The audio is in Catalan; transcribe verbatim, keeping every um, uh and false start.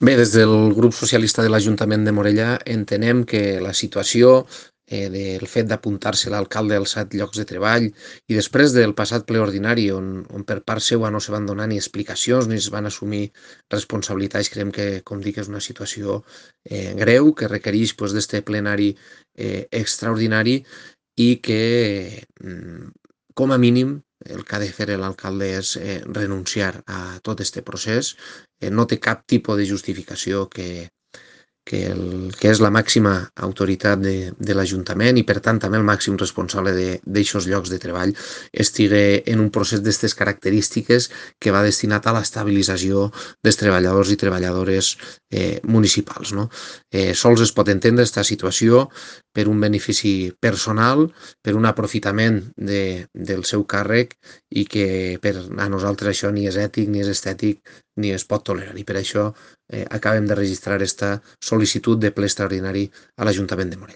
Bé, des del grup socialista de l'Ajuntament de Morellà entenem que la situació eh, del fet d'apuntar-se l'alcalde als set llocs de treball i després del passat ple ordinari on, on per part seva no se van donar ni explicacions ni es van assumir responsabilitats, creiem que, com dic, és una situació eh, greu que requereix pues, d'este plenari eh, extraordinari i que, mm, com a mínim, el que ha de fer l'alcalde és eh, renunciar a tot este procés. Eh, no té cap tipus de justificació que, que, el, que és la màxima autoritat de, de l'Ajuntament i per tant també el màxim responsable d'aixòs llocs de treball estigui en un procés d'aquestes característiques que va destinat a l'estabilització dels treballadors i treballadores eh, municipals. No? Eh, sols es pot entendre aquesta situació per un benefici personal, per un aprofitament de, del seu càrrec i que per a nosaltres això ni és ètic, ni és estètic, ni es pot tolerar. I per això eh, acabem de registrar aquesta sol·licitud de ple extraordinari a l'Ajuntament de Morell.